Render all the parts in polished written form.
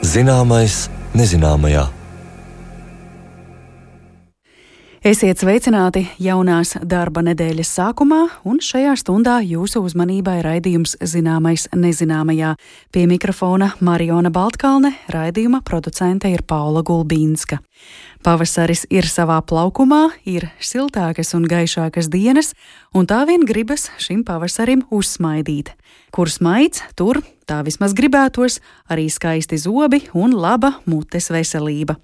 Zināmais nezināmajā. Esiet sveicināti jaunās darba nedēļas sākumā, un šajā stundā jūsu uzmanībai raidījums Zināmais nezināmajā. Pie mikrofona Mariona Baltkalne, raidījuma producente ir Paula Gulbīnska. Pavasaris ir savā plaukumā, ir siltākas un gaišākas dienas, un tā vien gribas šim pavasarim uzsmaidīt. Kur smaids, tur, tā vismaz gribētos, arī skaisti zobi un laba mutes veselība.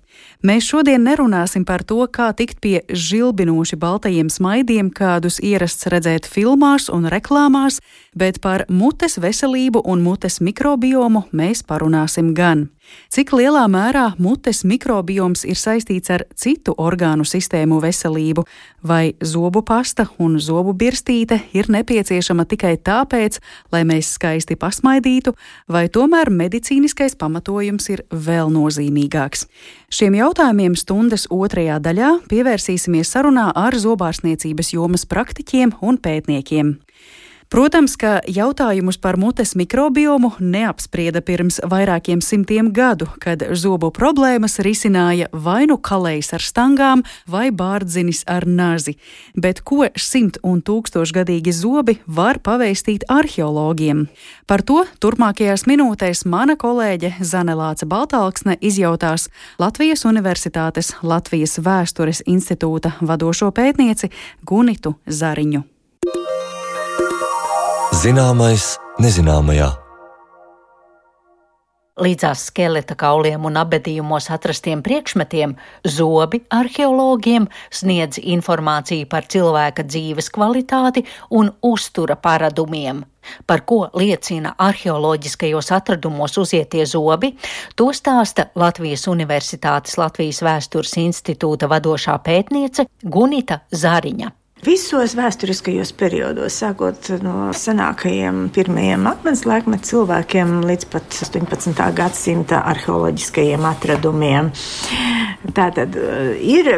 Mēs šodien nerunāsim par to, kā tikt pie žilbinoši baltajiem smaidiem, kādus ierasts redzēt filmās un reklāmās, bet par mutes veselību un mutes mikrobiomu mēs parunāsim gan. Cik lielā mērā mutes mikrobioms ir saistīts ar citu orgānu sistēmu veselību, vai zobu pasta un zobu birstīte ir nepieciešama tikai tāpēc, lai mēs skaisti pasmaidītu, vai tomēr medicīniskais pamatojums ir vēl nozīmīgāks. Šiem jautājumiem stundas otrajā daļā pievērsīsimies sarunā ar zobārstniecības jomas praktiķiem un pētniekiem. Protams, ka jautājumus par mutes mikrobiomu neapsprieda pirms vairākiem simtiem gadu, kad zobu problēmas risināja vai nu kalējs ar stangām vai bārdzinis ar nazi. Bet ko 100 un 1000-gadīgi zobi var pavēstīt arheologiem? Par to turpmākajās minūtēs mana kolēģe Zane Lāce Baltalksne izjautās Latvijas Universitātes Latvijas Vēstures institūta vadošo pētnieci Gunitu Zariņu. Zināmais nezināmajā. Līdzās skeleta kauliem un abedījumos atrastiem priekšmetiem zobi arheologiem sniedz informāciju par cilvēka dzīves kvalitāti un uztura paradumiem. Par ko liecina arheoloģiskajos atradumos uzietie zobi, to stāsta Latvijas Universitātes Latvijas Vēstures institūta vadošā pētniece Gunita Zariņa. Visos vēsturiskajos periodos, sākot no senākajiem pirmajiem akmens laikmeta cilvēkiem līdz pat 18. gadsimta arheoloģiskajiem atradumiem. Tātad ir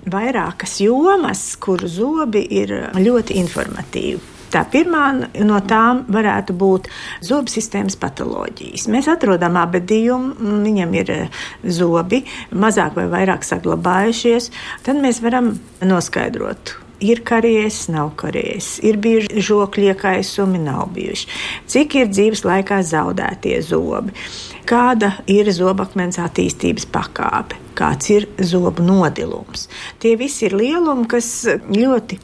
vairākas jomas, kur zobi ir ļoti informatīvi. Tā pirmā no tām varētu būt zobu sistēmas patoloģijas. Mēs atrodam abedījumu, viņam ir zobi, mazāk vai vairāk saglabājušies, tad mēs varam noskaidrot. Ir karies, nav karies, ir bijuši žokļu iekaisumi, nav bijuši. Cik ir dzīves laikā zaudētie zobi, kāda ir zobakmens attīstības pakāpe, kāds ir zobu nodilums. Tie visi ir lielumi, kas ļoti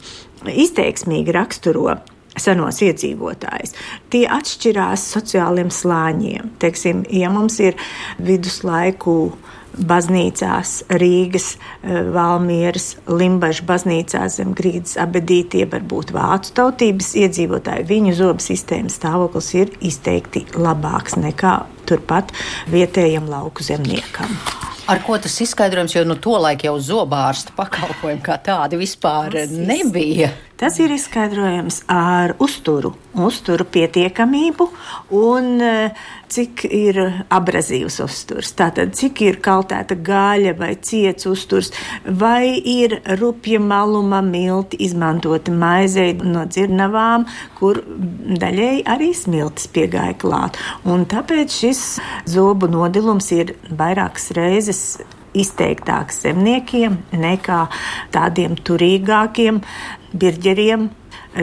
izteiksmīgi raksturo senos iedzīvotājus. Tie atšķirās sociāliem slāņiem. Teiksim, ja mums ir viduslaiku baznīcās, Rīgas, Valmieras, Limbažu baznīcās zem grīdas abedītie, varbūt vācu tautības iedzīvotāji, viņu zobu sistēmas stāvoklis ir izteikti labāks nekā turpat vietējam lauku zemniekam. Ar ko tas izskaidrojums, jo tolaik jau zobārsta pakalpojumi kā tādi vispār nebija? Tas ir izskaidrojams ar uzturu pietiekamību un cik ir abrazīvs uzturs. Tātad, cik ir kaltēta gaļa vai ciets uzturs, vai ir rupja maluma milti izmantoti maizei no dzirnavām, kur daļēji arī smiltis piegāja klāt. Un tāpēc šis zobu nodilums ir vairākas reizes izteiktāks zemniekiem nekā tādiem turīgākiem birģeriem,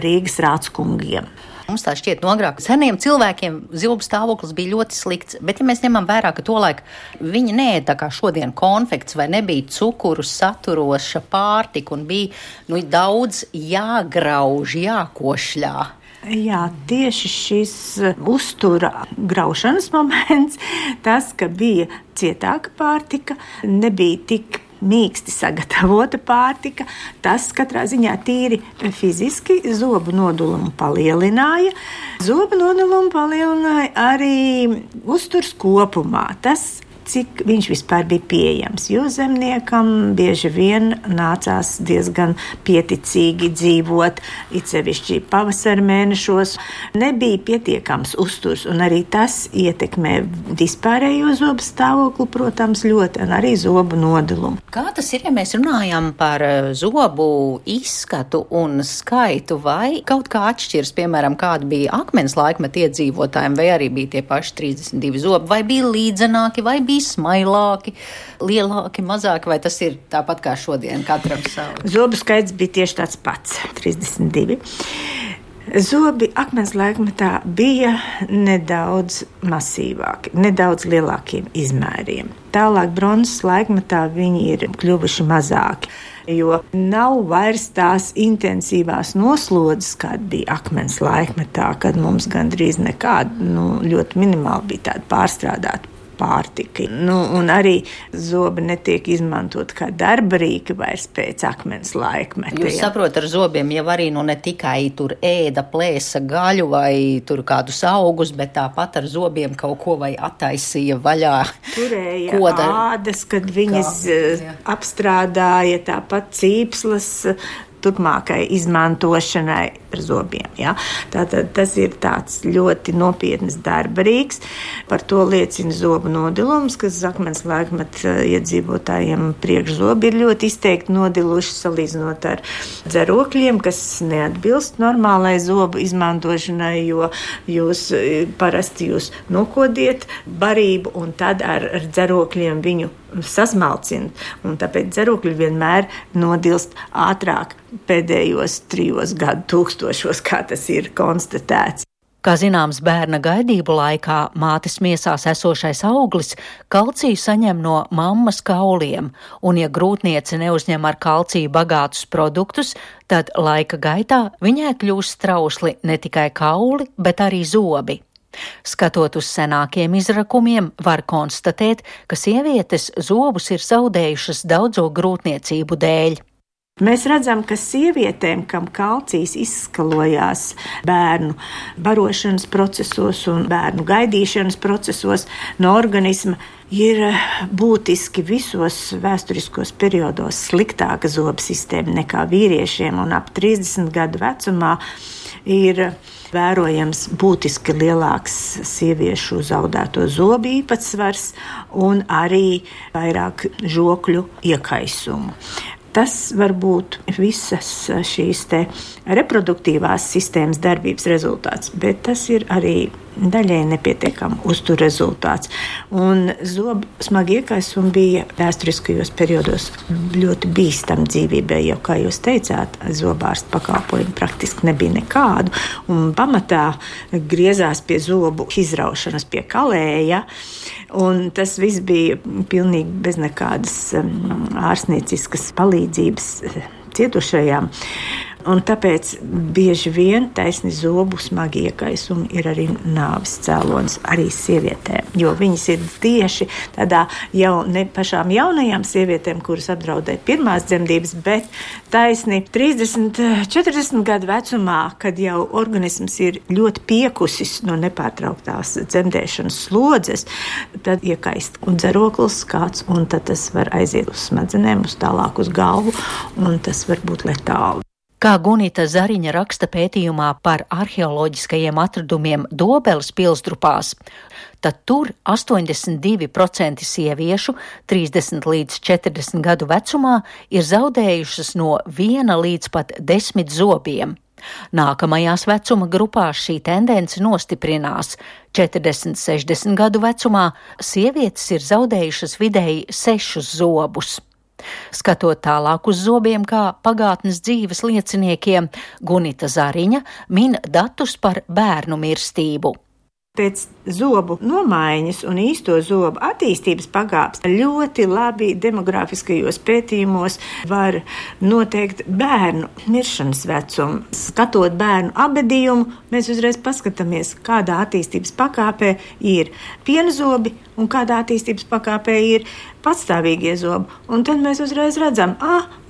Rīgas rāckungiem. Mums tā šķiet agrāk seniem cilvēkiem zobu stāvoklis bija ļoti slikts, bet ja mēs ņemam vērā, ka tolaik viņi neēda tā kā šodien konfekts vai nebija cukuru saturoša pārtika un bija daudz jāgrauž, jākošļā. Jā, tieši šis uztura graušanas moments, tas, ka bija cietāka pārtika, nebija tik mīksti sagatavota pārtika, tas katrā ziņā tīri fiziski zobu nodulumu palielināja. Zobu nodulumu palielināja arī uzturs kopumā. Tas cik viņš vispār bija pieejams, jo zemniekam bieži vien nācās diezgan pieticīgi dzīvot, it sevišķi pavasara mēnešos. Nebija pietiekams uzturs, un arī tas ietekmē vispārējo zobu stāvokli, protams, ļoti, un arī zobu nodilumu. Kā tas ir, ja mēs runājam par zobu izskatu un skaitu, vai kaut kā atšķiras, piemēram, kāda bija akmens laikmeta iedzīvotājiem, vai arī bija tie paši 32 zobi, vai bija līdzenāki, vai bija smailāki, lielāki, mazāki, vai tas ir tāpat kā šodien, katram savu? Zobu skaits bija tieši tāds pats - 32. Zobi akmens laikmetā bija nedaudz masīvāki, nedaudz lielākiem izmēriem. Tālāk bronzas laikmetā viņi ir kļuvuši mazāki, jo nav vairs tās intensīvās noslodzes, kāda bija akmens laikmetā, kad mums gandrīz nekāda, ļoti minimāli bija tāda pārstrādāta pārtika. Un arī zobi netiek izmantot kā darba rīki vairs pēc akmens laikmeta. Jūs saprotat, ar zobiem jau arī ne tikai tur ēda, plēsa gaļu vai tur kādus augus, bet tāpat ar zobiem kaut ko vai attaisīja vaļā. Turēja ādas, kad viņas apstrādāja, tāpat cīpslas turpmākai izmantošanai ar zobiem. Ja? Tātad tas ir tāds ļoti nopietnas darba rīks. Par to liecina zobu nodilums, kas akmens laikmeta iedzīvotājiem priekšzobi ir ļoti izteikti nodiluši salīdzinot ar dzerokļiem, kas neatbilst normālai zobu izmantošanai, jo parasti jūs nokodiet barību un tad ar dzerokļiem viņu sasmalcina, un tāpēc dzerokļi vienmēr nodilst ātrāk pēdējos 3 gadu tūkstošos, kā tas ir konstatēts. Kā zināms, bērna gaidību laikā mātes miesās esošais auglis kalciju saņem no mammas kauliem, un ja grūtniece neuzņem ar kalciju bagātus produktus, tad laika gaitā viņai kļūst trausli ne tikai kauli, bet arī zobi. Skatot uz senākiem izrakumiem, var konstatēt, ka sievietes zobus ir zaudējušas daudzo grūtniecību dēļ. Mēs redzam, ka sievietēm, kam kalcijs izskalojās bērnu barošanas procesos un bērnu gaidīšanas procesos no organisma, ir būtiski visos vēsturiskos periodos sliktāka zobu sistēma nekā vīriešiem, un ap 30 gadu vecumā ir vērojams būtiski lielāks sieviešu zaudēto zobu īpatsvars un arī vairāk žokļu iekaisumu. Tas var būt visas šīs reproduktīvās sistēmas darbības rezultāts, bet tas ir arī daļai nepietiekama uztur rezultāts. Un zobu smagi iekaisumi bija vēsturiskajos periodos ļoti bīstami dzīvībai, jo, kā jūs teicāt, zobārsta pakalpojumu praktiski nebija nekādu, un pamatā griezās pie zobu izraušanas pie kalēja, un tas viss bija pilnīgi bez nekādas ārstnieciskas palīdzības cietušajām. Un tāpēc bieži vien taisni zobu smagi iekaisumi ir arī nāves cēlonis arī sievietēm, jo viņas ir tieši tādā jau ne pašām jaunajām sievietēm, kuras apdraudē pirmās dzemdības, bet taisni 30, 40 gadu vecumā, kad jau organisms ir ļoti piekusis no nepārtrauktās dzemdēšanas slodzes, tad iekaist un dzeroklis kāds, un tad tas var aiziet uz smadzenēm, uz tālāk uz galvu, un tas var būt letāli. Kā Gunita Zariņa raksta pētījumā par arheoloģiskajiem atradumiem Dobeles pilsdrupās, tad tur 82% sieviešu 30 līdz 40 gadu vecumā ir zaudējušas no 1 līdz pat 10 zobiem. Nākamajās vecuma grupās šī tendence nostiprinās. 40–60 gadu vecumā sievietes ir zaudējušas vidēji 6 zobus. Skatot tālāk uz zobiem kā pagātnes dzīves lieciniekiem, Gunita Zariņa min datus par bērnu mirstību. Pēc zobu nomaiņas un īsto zobu attīstības pakāpes ļoti labi demografiskajos pētījumos var noteikt bērnu miršanas vecumu. Skatot bērnu abedījumu, mēs uzreiz paskatāmies, kādā attīstības pakāpē ir pienzobi un kādā attīstības pakāpē ir patstāvīgie zobi. Un tad mēs uzreiz redzam,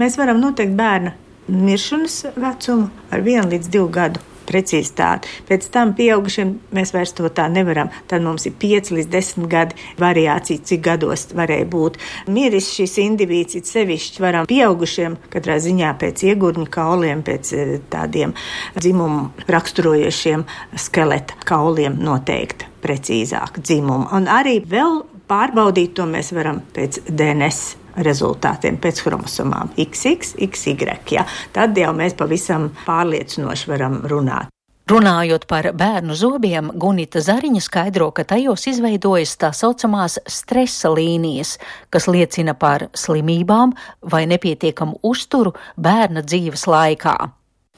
mēs varam noteikt bērna miršanas vecumu ar 1 līdz 2 gadu precizitāti. Pēc tam pieaugušiem mēs vairs to tā nevaram. Tad mums ir 5 līdz 10 gadi variācija, cik gados varēja būt miris šis indivīds, it sevišķi varam pieaugušiem, katrā ziņā pēc iegurņu kauliem, pēc tādiem dzimumu raksturojošiem skeleta kauliem noteikt precīzāk dzimumu. Un arī vēl pārbaudīt to mēs varam pēc DNS rezultātiem, pēc chromosomām XX, XY. Ja? Tad jau mēs pavisam pārliecinoši varam runāt. Runājot par bērnu zobiem, Gunita Zariņa skaidro, ka tajos izveidojas tā saucamās stresa līnijas, kas liecina par slimībām vai nepietiekamu uzturu bērna dzīves laikā.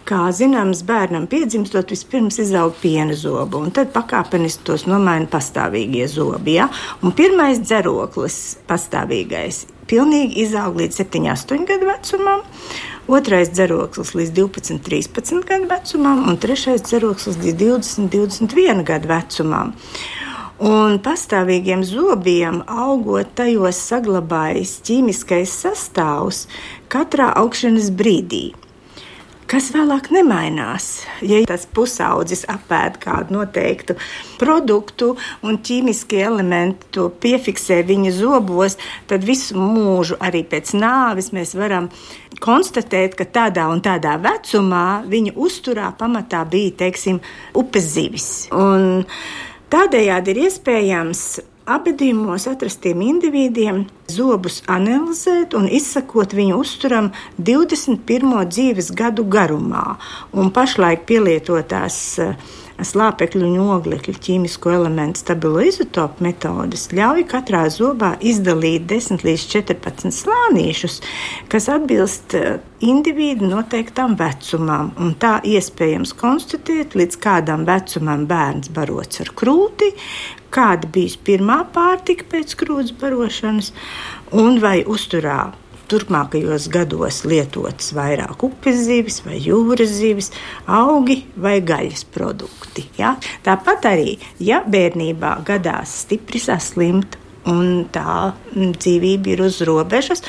Kā zināms, bērnam piedzimstot vispirms izaug piena zobu, un tad pakāpeniski tos nomaina pastāvīgie zobi. Ja? Un pirmais dzeroklis pastāvīgais pilnīgi izaug līdz 7-8 gadu vecumam, otrais dzeroklis līdz 12-13 gadu vecumam un trešais dzeroklis līdz 20-21 gadu vecumam. Un pastāvīgiem zobiem augot tajos saglabājas ķīmiskais sastāvs katrā augšanas brīdī, kas vēlāk nemainās. Ja tas pusaudzis apēd kādu noteiktu produktu un ķīmiskie elementi to piefiksē viņa zobos, tad visu mūžu arī pēc nāves mēs varam konstatēt, ka tādā un tādā vecumā viņa uzturā pamatā bija, teiksim, upes zivis. Un tādējādi ir iespējams abedījumos atrastiem individiem zobus analizēt un izsakot viņu uzturam 21. dzīves gadu garumā. Un pašlaik pielietotās slāpekļu un oglekļu ķīmisko elementu stabilo izotopu metodes ļauj katrā zobā izdalīt 10 līdz 14 slānīšus, kas atbilst individu noteiktam vecumam. Un tā iespējams konstatēt, līdz kādam vecumam bērns barots ar krūti, kāda bijis pirmā pārtika pēc krūts barošanas, un vai uzturā turpmākajos gados lietotas vairāk upes zivis vai jūras zivis, augi vai gaļas produkti. Ja? Tāpat arī, ja bērnībā gadās stipri saslimt un tā dzīvība ir uz robežas,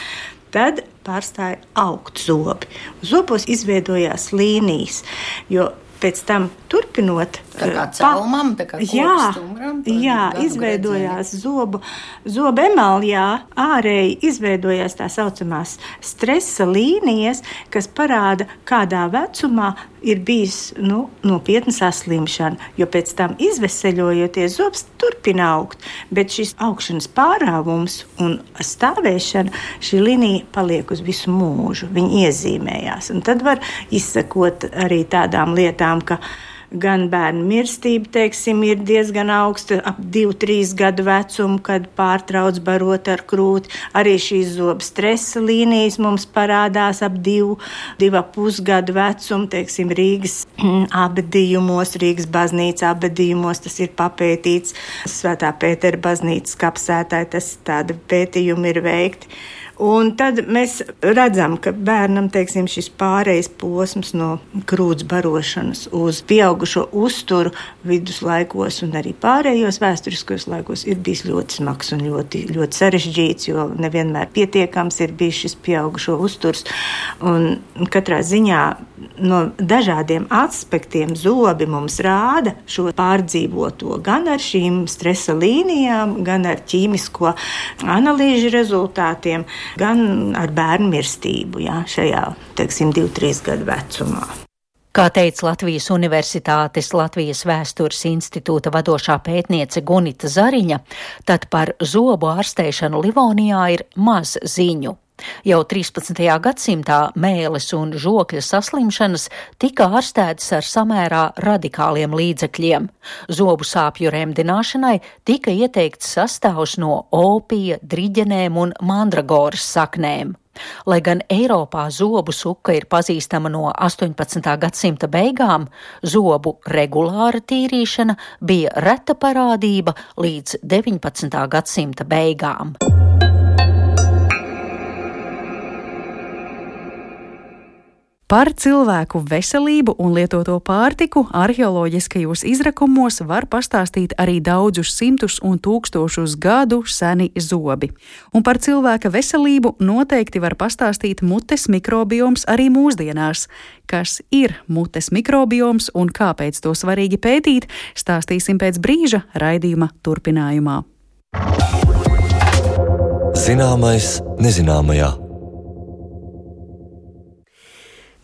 tad pārstāja augt zobi. Zobos izveidojās līnijas, jo pēc tam turpinot, tā kā celmam, tā kā kopstumuram, izveidojās zobu emaljā, ārēji izveidojās tā saucamās stresa līnijas, kas parāda, kādā vecumā ir bijis nopietna saslimšana, jo pēc tam izveseļojoties zobs turpina augt, bet šis augšanas pārāvums un stāvēšana, šī līnija paliek uz visu mūžu, viņi iezīmējās, un tad var izsekot arī tādām lietām, ka gan bērnu mirstība, teiksim, ir diezgan augsta, ap 2-3 gadu vecumu, kad pārtrauc barot ar krūti. Arī šīs zobu stresa līnijas mums parādās ap 2,5 gadu vecumu, teiksim, Rīgas abedījumos, Rīgas baznīca abedījumos, tas ir papētīts. Svētā Pētera baznīcas kapsētāji, tas tāda pētījumi ir veikti. Un tad mēs redzam, ka bērnam, teiksim, šis pārejas posms no krūts barošanas uz pieaugušo uzturu viduslaikos un arī pārējos vēsturiskos laikos ir bijis ļoti smags un ļoti, ļoti sarežģīts, jo nevienmēr pietiekams ir bijis šis pieaugušo uzturs. Un katrā ziņā no dažādiem aspektiem zobi mums rāda šo pārdzīvoto gan ar šīm stresa līnijām, gan ar ķīmisko analīžu rezultātiem, gan ar bērnu mirstību, šajā, teiksim, 2-3 gadu vecumā. Kā teica Latvijas Universitātes Latvijas Vēstures institūta vadošā pētniece Gunita Zariņa, tad par zobu ārstēšanu Livonijā ir maz ziņu. Jau 13. gadsimtā mēles un žokļa saslimšanas tika ārstētas ar samērā radikāliem līdzekļiem. Zobu sāpju remdināšanai tika ieteikts sastāvs no opija, driģenēm un mandragoras saknēm. Lai gan Eiropā zobu suka ir pazīstama no 18. gadsimta beigām, zobu regulāra tīrīšana bija reta parādība līdz 19. gadsimta beigām. Par cilvēku veselību un lietoto pārtiku arheoloģiskajos izrakumos var pastāstīt arī daudzus simtus un tūkstošus gadu seni zobi. Un par cilvēka veselību noteikti var pastāstīt mutes mikrobioms arī mūsdienās. Kas ir mutes mikrobioms un kāpēc to svarīgi pētīt, stāstīsim pēc brīža raidījuma turpinājumā. Zināmais nezināmajā.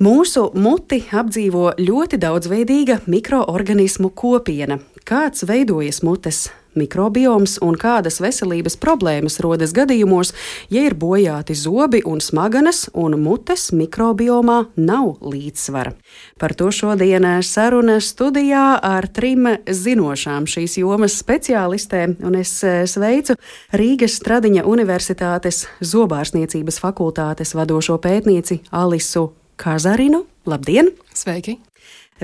Mūsu muti apdzīvo ļoti daudzveidīga mikroorganismu kopiena. Kāds veidojas mutes mikrobioms un kādas veselības problēmas rodas gadījumos, ja ir bojāti zobi un smadzenes un mutes mikrobiomā nav līdzsvara. Par to šodien saruna studijā ar 3 zinošām šīs jomas speciālistēm, un es sveicu Rīgas Stradiņa Universitātes zobārstniecības fakultātes vadošo pētnieci Alisu Kazarinu. Labdien! Sveiki!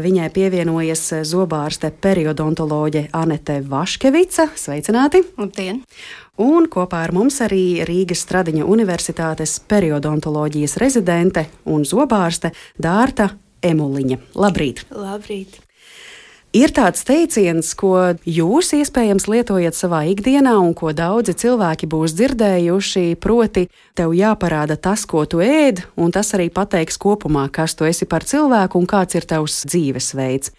Viņai pievienojas zobārste periodontoloģe Anete Vaškevica. Sveicināti! Labdien! Un kopā ar mums arī Rīgas Stradiņa Universitātes periodontoloģijas rezidente un zobārste Dārta Emuliņa. Labrīt! Labrīt! Ir tāds teiciens, ko jūs iespējams lietojat savā ikdienā un ko daudzi cilvēki būs dzirdējuši, proti, tev jāparāda tas, ko tu ēd, un tas arī pateiks kopumā, kas tu esi par cilvēku un kāds ir tavs dzīvesveids.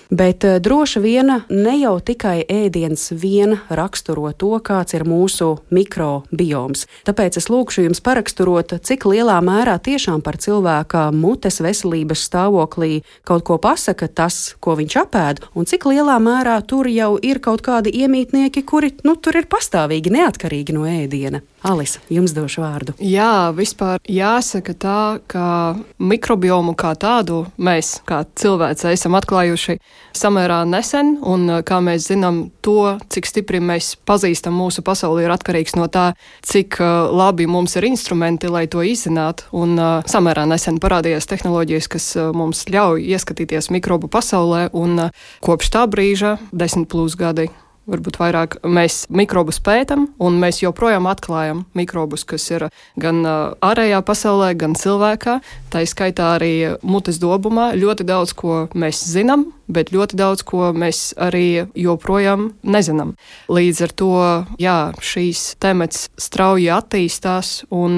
Bet droši vien ne jau tikai ēdiens vien raksturo to, kāds ir mūsu mikrobioms. Tāpēc es lūkšu jums paraksturot, cik lielā mērā tiešām par cilvēka mutes veselības stāvoklī kaut ko pasaka tas, ko viņš apēd, un cik lielā mērā tur jau ir kaut kādi iemītnieki, kuri tur ir pastāvīgi neatkarīgi no ēdiena. Alisa, jums došu vārdu. Jā, vispār jāsaka tā, ka mikrobiomu kā tādu mēs, kā cilvēci, esam atklājuši samērā nesen, un kā mēs zinām, to, cik stipri mēs pazīstam mūsu pasauli, ir atkarīgs no tā, cik labi mums ir instrumenti, lai to izzinātu, un samērā nesen parādījās tehnoloģijas, kas mums ļauj ieskatīties mikrobu pasaulē, un kopš tā brīža 10+ gadi. Varbūt vairāk mēs mikrobus pētam, un mēs joprojām atklājam mikrobus, kas ir gan ārējā pasaulē, gan cilvēkā. Tā skaitā arī mutes dobumā. Ļoti daudz, ko mēs zinām, bet ļoti daudz, ko mēs arī joprojām nezinām. Līdz ar to, jā, šīs temats strauji attīstās, un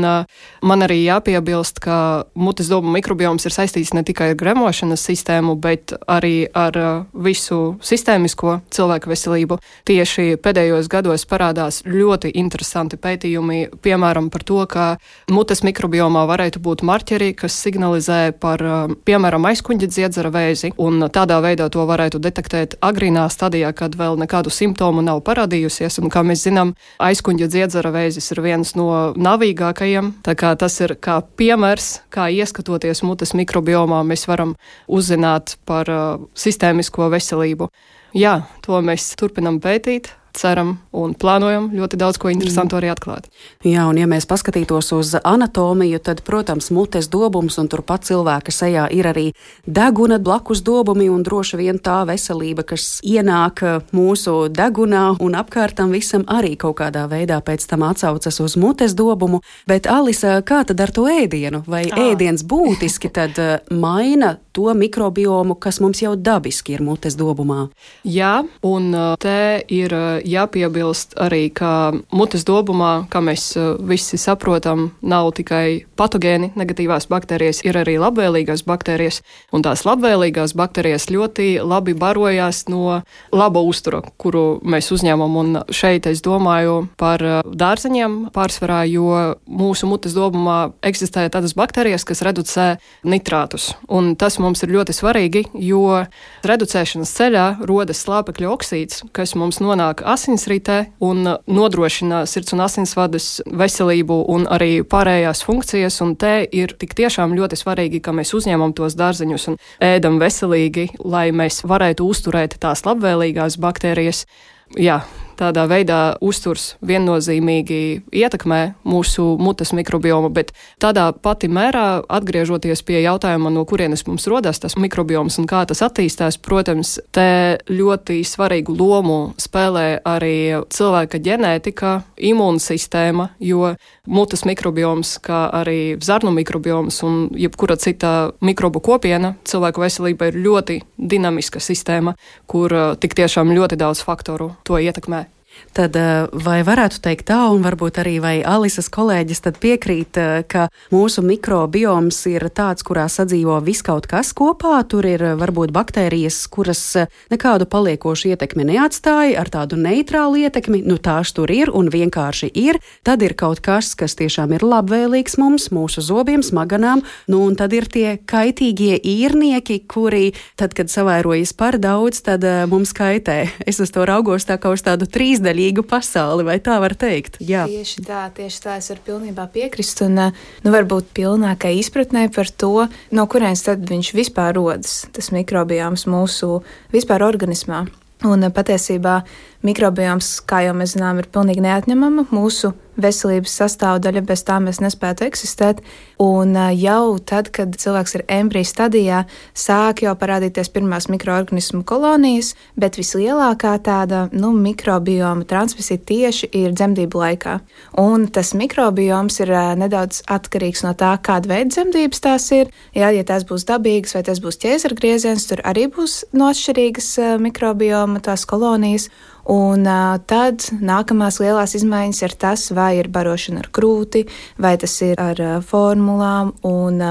man arī jāpiebilst, ka mutes dobuma mikrobioms ir saistīts ne tikai ar gremošanas sistēmu, bet arī ar visu sistēmisko cilvēku veselību. Tieši pēdējos gados parādās ļoti interesanti pētījumi, piemēram, par to, ka mutes mikrobiomā varētu būt marķeri, kas signalizē par, piemēram, aizkuņģa dziedzera vēzi, un tādā veidā to varētu detektēt agrīnā stadijā, kad vēl nekādu simptomu nav parādījusies, un, kā mēs zinām, aizkuņģa dziedzera vēzis ir viens no navīgākajiem, tā kā tas ir kā piemērs, kā ieskatoties mutes mikrobiomā, mēs varam uzzināt par sistēmisko veselību. Jā, to mēs turpinam pētīt, ceram un plānojam ļoti daudz ko interesantu arī atklāt. Jā, un ja mēs paskatītos uz anatomiju, tad, protams, mutes dobums un turpat cilvēka sejā ir arī deguna blakus dobumi un droši vien tā veselība, kas ienāk mūsu degunā un apkārtam visam arī kaut kādā veidā pēc tam atsaucas uz mutes dobumu. Bet, Alisa, kā tad ar to ēdienu? Vai ēdiens būtiski tad maina to mikrobiomu, kas mums jau dabiski ir mutes dobumā? Jā, un te ir jāpiebilst arī, ka mutes dobumā, kā mēs visi saprotam, nav tikai patogēni, negatīvās baktērijas, ir arī labvēlīgās baktērijas, un tās labvēlīgās baktērijas ļoti labi barojās no laba uztura, kuru mēs uzņemam, un šeit es domāju par dārzeņiem pārsvarā, jo mūsu mutes dobumā eksistē tādas baktērijas, kas reducē nitrātus, un tas mums ir ļoti svarīgi, jo reducēšanas ceļā rodas slāpekļa oksīds, kas mums nonāk asinsritē un nodrošina sirds un asinsvadas veselību un arī pārējās funkcijas, un te ir tik tiešām ļoti svarīgi, ka mēs uzņemam tos dārzeņus un ēdam veselīgi, lai mēs varētu uzturēt tās labvēlīgās baktērijas. Jā, tādā veidā uzturs viennozīmīgi ietekmē mūsu mutes mikrobiomu, bet tādā pati mērā, atgriežoties pie jautājuma, no kurienes mums rodās tas mikrobioms un kā tas attīstās, protams, te ļoti svarīgu lomu spēlē arī cilvēka ģenētika, imūnsistēma, jo mutes mikrobioms, kā arī zarnu mikrobioms un jebkura cita mikrobu kopiena cilvēku veselība ir ļoti dinamiska sistēma, kur tik tiešām ļoti daudz faktoru to ietekmē. Tad vai varētu teikt tā, un varbūt arī vai Alisas kolēģis tad piekrīt, ka mūsu mikrobioms ir tāds, kurā sadzīvo viskaut kas kopā, tur ir varbūt baktērijas, kuras nekādu paliekošu ietekmi neatstāja, ar tādu neitrālu ietekmi, tās tur ir un vienkārši ir, tad ir kaut kas, kas tiešām ir labvēlīgs mums, mūsu zobiem, smaganām, un tad ir tie kaitīgie īrnieki, kuri tad, kad savairojas par daudz, tad mums kaitē. Es uz to raugos tā kā uz tādu 3D labvēlīgu pasauli, vai tā var teikt? Jā. Tieši tā, es varu pilnībā piekrist, un varbūt pilnākai izpratnē par to, no kurienes tad viņš vispār rodas, tas mikrobioms mūsu vispār organismā. Un patiesībā mikrobioms, kā jau mēs zinām, ir pilnīgi neatņemama mūsu veselības sastāvdaļa, bez tā mēs nespētu eksistēt. Un jau tad, kad cilvēks ir embrija stadijā, sāk jau parādīties pirmās mikroorganismu kolonijas, bet vislielākā tāda mikrobioma transmisija tieši ir dzemdību laikā. Un tas mikrobioms ir nedaudz atkarīgs no tā, kāda veida dzemdības tās ir. Ja tās būs dabīgas vai tas būs ķēzargrieziens, tur arī būs atšķirīgas mikrobioma tās kolonijas. Un tad nākamās lielās izmaiņas ir tas, vai ir barošana ar krūti, vai tas ir ar formulām. Un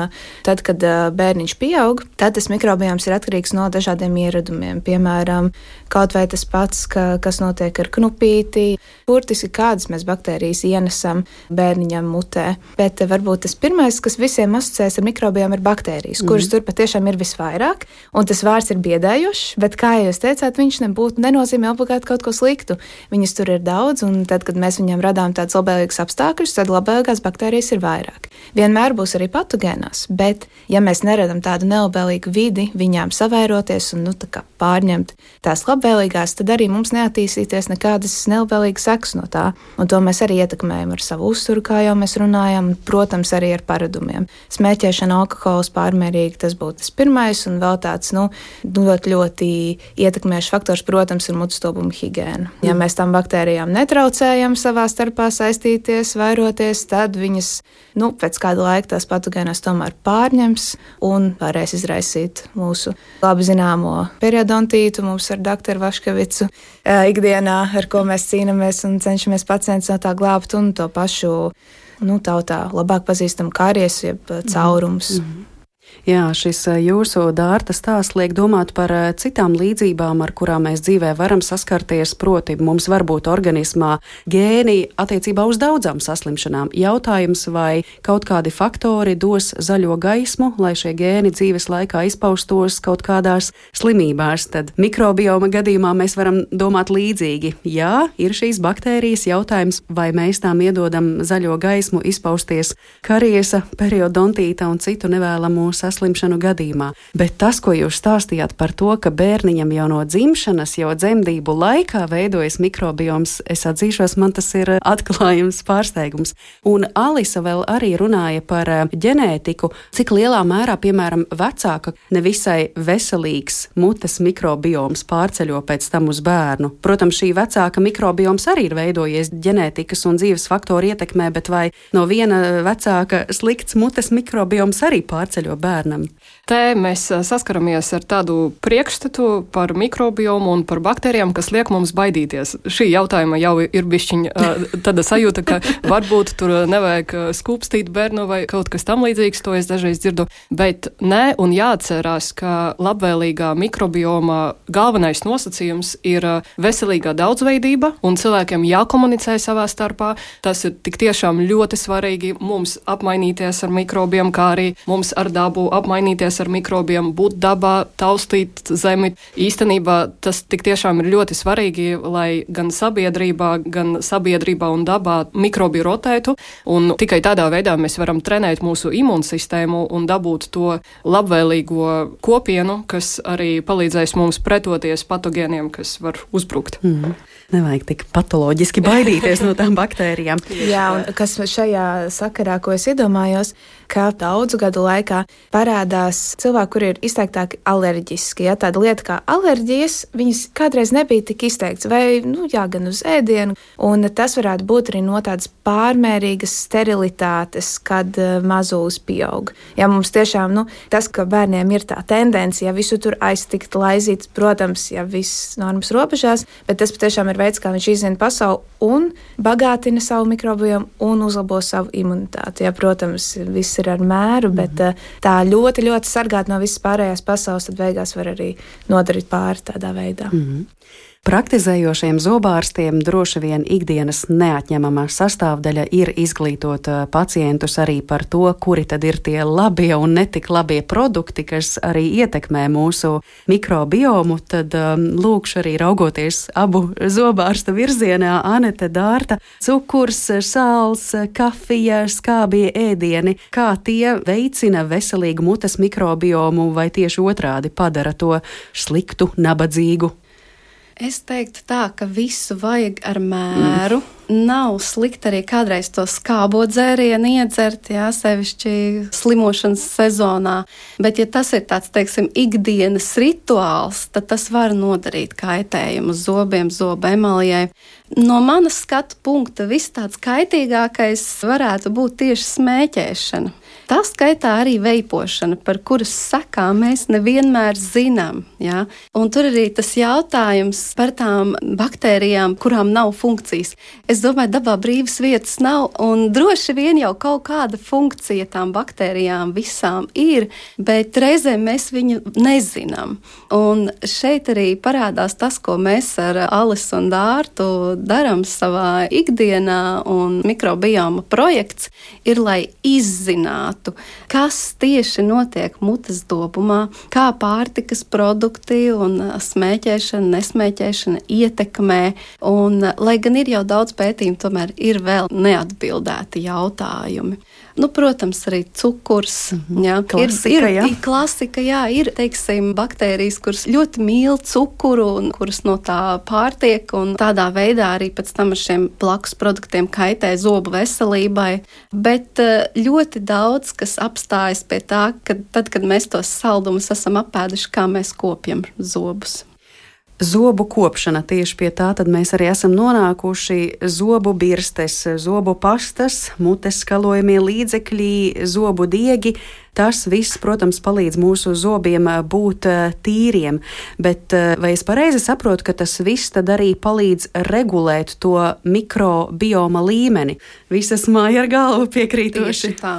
tad, kad bērniņš pieaug, tad tas mikrobioms ir atkarīgs no dažādiem ieradumiem. Piemēram, kaut vai tas pats, kas notiek ar knupīti, burtiski kādas mēs baktērijas ienesam bērniņam mutē. Bet varbūt tas pirmais, kas visiem asociēs ar mikrobiomu, ir baktērijas, kuras tur patiešām ir visvairāk. Un tas vārds ir biedējošs, bet, kā jūs teicāt, viņš nenozīmē obligāti kaut ko sliktu. Viņas tur ir daudz, un tad, kad mēs viņam radām tādus labvēlīgus apstākļus, tad labvēlīgās baktērijas ir vairāk. Vienmēr būs arī patogēnās, bet, ja mēs neradam tādu nelabvēlīgu vidi viņām savairoties un pārņemt tās labvēlīgās, tad arī mums neattīstīties nekādas nelabvēlīgas sekas no tā. Un to mēs arī ietekmējam ar savu uzturu, kā jau mēs runājam, protams, arī ar paradumiem. Smēķēšana, alkohols pārmērīgi, tas būtu tas pirmais, un vēl tāds, ļoti ietekmējušs faktors, protams, ir mutstobuma higiēna. Ja mēs tam baktērijām netraucējam savā starpā saistīties, vairoties, tad viņas, pēc kāda laika tās patogēnās tomēr pārņems un varēs izraisīt mūsu labi zināmo periodontītu. Mums ar doktoru Vaškevicu ikdienā, ar ko mēs cīnāmies un cenšamies pacientus no tā glābt, un to pašu, tautā labāk pazīstam kāries, jeb caurums. Jā, šis jūsu dārta stāsts liek domāt par citām līdzībām, ar kurām mēs dzīvē varam saskarties, proti mums var būt organismā gēni attiecībā uz daudzām saslimšanām. Jautājums, vai kaut kādi faktori dos zaļo gaismu, lai šie gēni dzīves laikā izpaustos kaut kādās slimībās. Tad mikrobioma gadījumā mēs varam domāt līdzīgi. Jā, ir šīs baktērijas, jautājums, vai mēs tām iedodam zaļo gaismu izpausties kariesa, periodontīta un citu nevēlamu saslimšanu gadījumā. Bet tas, ko jūs stāstījāt par to, ka bērniņam jau no dzimšanas, jau dzemdību laikā veidojas mikrobioms, es atzīšos, man tas ir atklājums, pārsteigums. Un Alisa vēl arī runāja par ģenētiku, cik lielā mērā, piemēram, vecāka nevisai veselīgs mutes mikrobioms pārceļo pēc tam uz bērnu. Protams, šī vecāka mikrobioms arī ir veidojies ģenētikas un dzīves faktoru ietekmē, bet vai no viena vecāka slikts mutes mikrobioms arī pārceļo bērnam? Te mēs saskaramies ar tādu priekšstatu par mikrobiomu un par baktērijām, kas liek mums baidīties. Šī jautājuma jau ir bišķiņa tāda sajūta, ka varbūt tur nevajag skūpstīt bērnu vai kaut kas tam līdzīgs, to es dažreiz dzirdu. Bet nē, un jāatcerās, ka labvēlīgā mikrobioma galvenais nosacījums ir veselīgā daudzveidība, un cilvēkiem jākomunicē savā starpā. Tas ir tik tiešām ļoti svarīgi mums apmainīties ar mikrobiem, kā arī mums ar dabu apmainīties ar mikrobiem, būt dabā, taustīt zemi. Īstenībā tas tik tiešām ir ļoti svarīgi, lai gan sabiedrībā un dabā mikrobi rotētu, un tikai tādā veidā mēs varam trenēt mūsu imūnsistēmu un dabūt to labvēlīgo kopienu, kas arī palīdzēs mums pretoties patogēniem, kas var uzbrukt. Nevajag tik patoloģiski baidīties no tām baktērijām. Jā, un kas šajā sakarā, ko es iedomājos, ka daudzu gadu laikā parādās cilvēki, kuri ir izteiktāki alerģiski. Ja, tāda lieta kā alerģijas, viņas kādreiz nebija tik izteikts, vai gan uz ēdienu, un tas varētu būt arī no tādas pārmērīgas sterilitātes, kad mazulis pieaug. Ja mums tiešām, tas, ka bērniem ir tā tendence, ja visu tur aiztikt, laizīt, protams, ja viss normas robežās, bet tas patiešām ir veids, kā viņš izzina pasauli un bagātina savu mikrobiomu un uzlabo savu imunitāti. Ja, protams, viss ir ar mēru, bet tā ļoti, ļoti sargāt no visas pārējās pasaules, tad beigās var arī nodarīt pāri tādā veidā. Praktizējošiem zobārstiem droši vien ikdienas neatņemama sastāvdaļa ir izglītot pacientus arī par to, kuri tad ir tie labie un netik labie produkti, kas arī ietekmē mūsu mikrobiomu. Tad lūkšu arī raugoties abu zobārsta virzienā, Anete, Dārta, cukurs, sāls, kafija, skābie ēdieni, kā tie veicina veselīgu mutes mikrobiomu vai tieši otrādi padara to sliktu, nabadzīgu? Es teiktu tā, ka visu vajag ar mēru. Nav slikti arī kādreiz to skābo dzērienu iedzert, sevišķi slimošanas sezonā. Bet, ja tas ir tāds, teiksim, ikdienas rituāls, tad tas var nodarīt kaitējumu zobiem, zobu emalijai. No manas skatu punkta viss tāds kaitīgākais varētu būt tieši smēķēšana. Tā skaitā arī veipošana, par kuras sekām mēs nevienmēr zinām. Ja? Un tur arī tas jautājums par tām baktērijām, kurām nav funkcijas. Es domāju, dabā brīvas vietas nav, un droši vien jau kaut kāda funkcija tām baktērijām visām ir, bet reizēm mēs viņu nezinām. Un šeit arī parādās tas, ko mēs ar Alisu un Dārtu darām savā ikdienā, un mikrobioma projekts ir, lai izzinātu, kas tieši notiek mutes dobumā, kā pārtikas produkti un smēķēšana, nesmēķēšana ietekmē. Un, lai gan ir jau daudz pētījumu, tomēr ir vēl neatbildēti jautājumi. Protams, arī cukurs. Klasika, ir, teiksim, baktērijas, kuras ļoti mīl cukuru un kuras no tā pārtiek, un tādā veidā arī pēc tam ar šiem blakus produktiem kaitē zobu veselībai. Bet ļoti daudz, kas apstājas pie tā, ka tad, kad mēs tos saldumus esam apēduši, kā mēs kopjam zobus. Zobu kopšana, tieši pie tā tad mēs arī esam nonākuši. Zobu birstes, zobu pastas, mutes skalojamie līdzekļi, zobu diegi. Tas viss, protams, palīdz mūsu zobiem būt tīriem, bet vai es pareizi saprotu, ka tas viss tad arī palīdz regulēt to mikrobioma līmeni? Visas māja ar galvu piekrītoši. Tieši tā.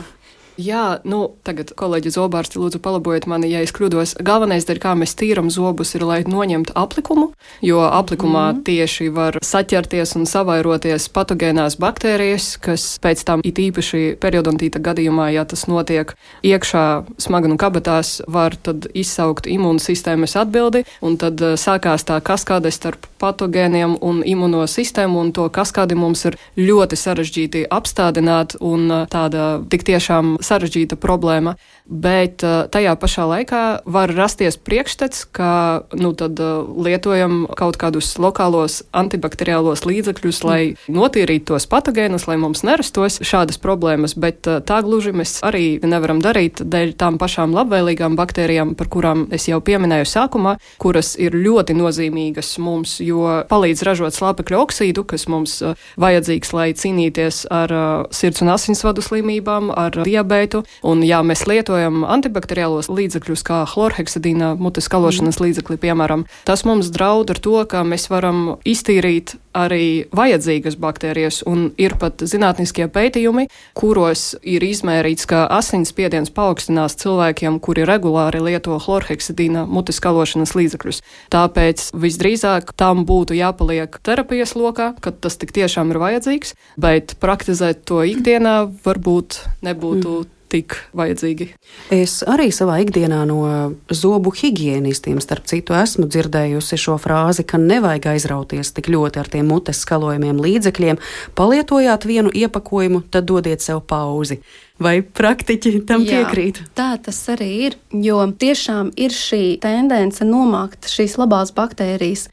Jā, tagad kolēģi zobārsti lūdzu palabojiet mani, ja es kļūdos. Galvenais, kā mēs tīram zobus, ir, lai noņemtu aplikumu, jo aplikumā tieši var saķerties un savairoties patogēnās baktērijas, kas pēc tam it īpaši periodontīta gadījumā, ja tas notiek iekšā smaganu kabatās, var tad izsaukt imūnsistēmas atbildi, un tad sākās tā kaskāde starp patogēniem un imūnosistēmu, un to kaskādi mums ir ļoti sarežģīti apstādināt, un tāda tik tiešām sarežģīta problēma, bet tajā pašā laikā var rasties priekšstats, ka tad lietojam kaut kādus lokālos antibakteriālos līdzekļus, lai notīrītu tos patogēnus, lai mums nerastos šādas problēmas, bet tā gluži mēs arī nevaram darīt dēļ tām pašām labvēlīgām baktērijām, par kurām es jau pieminēju sākumā, kuras ir ļoti nozīmīgas mums, jo palīdz ražot slāpekļu oksīdu, kas mums vajadzīgs, lai cīnīties ar sirds un asinsvadu slimībām, ar diabētu. Un jā, mēs lietojam antibakteriālos līdzekļus, kā chlorheksidīna mutes skalošanas līdzekli, piemēram. Tas mums draud ar to, ka mēs varam iztīrīt arī vajadzīgas baktērijas, un ir pat zinātniskie pētījumi, kuros ir izmērīts, ka asinsspiediens paaugstinās cilvēkiem, kuri regulāri lieto chlorheksidīna mutes skalošanas līdzekļus. Tāpēc visdrīzāk tam būtu jāpaliek terapijas lokā, kad tas tik tiešām ir vajadzīgs, bet praktizēt to ikdienā varbūt nebūtu tik vajadzīgi. Es arī savā ikdienā no zobu higienistiem, starp citu, esmu dzirdējusi šo frāzi, ka nevajag aizrauties tik ļoti ar tiem mutes skalojumiem līdzekļiem. Palietojāt vienu iepakojumu, tad dodiet sev pauzi. Vai praktiķi tam piekrīt? Jā, tā tas arī ir, jo tiešām ir šī tendence nomākt šīs labās baktērijas,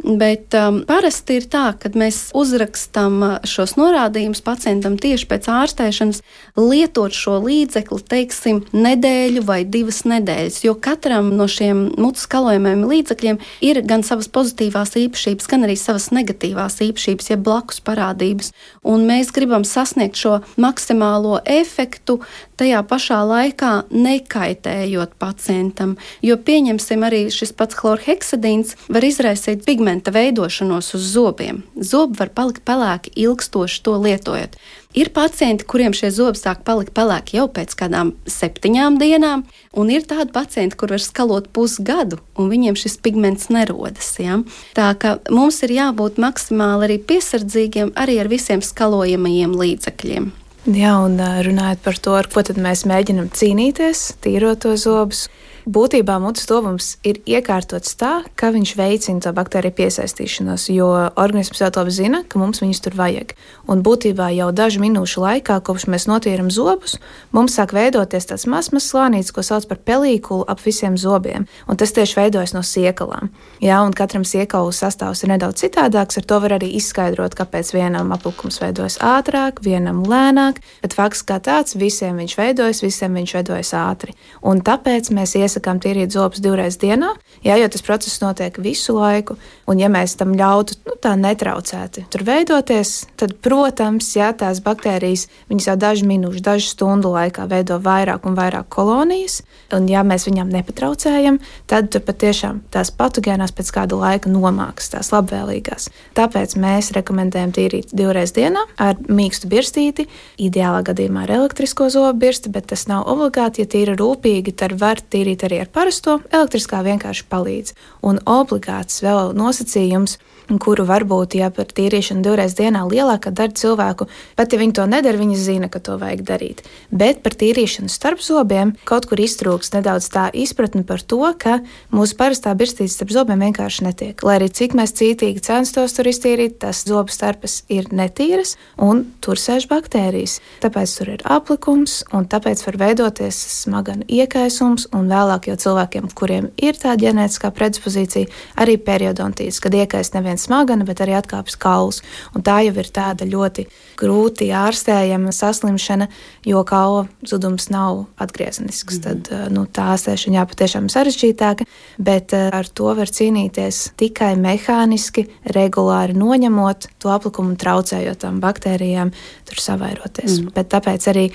bet parasti ir tā, kad mēs uzrakstam šos norādījumus pacientam tieši pēc ārstēšanas, lietot šo līdzekli, teiksim, nedēļu vai 2 nedēļas, jo katram no šiem mutes skalojumiem līdzekļiem ir gan savas pozitīvās īpašības, gan arī savas negatīvās īpašības, ja blakus parādības, un mēs gribam sasniegt šo maksimālo efektu, notiktu tajā pašā laikā nekaitējot pacientam, jo pieņemsim arī šis pats chlorheksidīns var izraisīt pigmenta veidošanos uz zobiem. Zobi var palikt pelēki ilgstoši to lietojot. Ir pacienti, kuriem šie zobi sāk palikt pelēki jau pēc kādām 7 dienām, un ir tādi pacienti, kur var skalot pusgadu, un viņiem šis pigments nerodas. Ja? Tā ka mums ir jābūt maksimāli arī piesardzīgiem arī ar visiem skalojamajiem līdzekļiem. Jā, un runājot par to, ar ko tad mēs mēģinam cīnīties, tīrot to zobus. Būtībā mutes tuvums ir iekārtots tā, ka viņš veicina to baktēriju piesaistīšanos, jo organisms jau to zina, ka mums viņus tur vajag. Un būtībā jau dažu minūšu laikā, kopš mēs notīram zobus, mums sāk veidoties tāds mazs slānītis, ko sauc par pelīkulu ap visiem zobiem. Un tas tieši veidojas no siekalām. Jā, un katram siekalu sastāvs ir nedaudz citādāks, ar to var arī izskaidrot, kāpēc vienam aplikums veidojas ātrāk, vienam lēnāk, bet fakts kā tāds, visiem viņš veidojas ātri. Un tāpēc mēs iesakām tīrīt zobus 2 reizes dienā, jā, jo tas process notiek visu laiku, un ja mēs tam ļautu tā netraucēti tur veidoties, tad, protams, jā, tās baktērijas, viņas jau dažu minūšu, dažu stundu laikā veido vairāk un vairāk kolonijas, un ja mēs viņām nepatraucējam, tad tur patiešām tās patogēnās pēc kāda laika nomāks, tās labvēlīgās. Tāpēc mēs rekomendējam tīrīt 2 reizes dienā ar mīkstu birstīti, ideālā gadījumā ar elektrisko zobu birsti, bet tas nav obligāti, ja tīra rūpīgi, tad var tīrīt arī ar parasto, elektriskā vienkārši palīdz. Un obligāts vēl nosacījums, kuru varbūt, ja par tīrīšanu 2 reizes dienā lielākā daļa cilvēku, pat ja viņi to nedara, viņi zina, ka to vajag darīt. Bet par tīrīšanu starp zobiem kaut kur iztrūks nedaudz tā izpratne par to, ka mūsu parastā birstīte starp zobiem vienkārši netiek. Lai arī cik mēs cītīgi censtos tur iztīrīt, tas zobu starpes ir netīras un tur sēž baktērijas. Tāpēc tur ir aplikums un tāpēc var veidoties smaganu iekaisums un vēlāk jau cilvēkiem, kuriem ir tā ģenētiskā predispozīcija, arī periodontīts, kad iekais nevien smagana, bet arī atkāpjas kauls. Un tā jau ir tāda ļoti grūti ārstējama saslimšana, jo kaula zudums nav atgriezenisks. Tad tā ārstēšana jāpatiešām sarežģītāka, bet ar to var cīnīties tikai mehāniski, regulāri noņemot to aplikumu un traucējot tām baktērijām tur savairoties. Bet tāpēc arī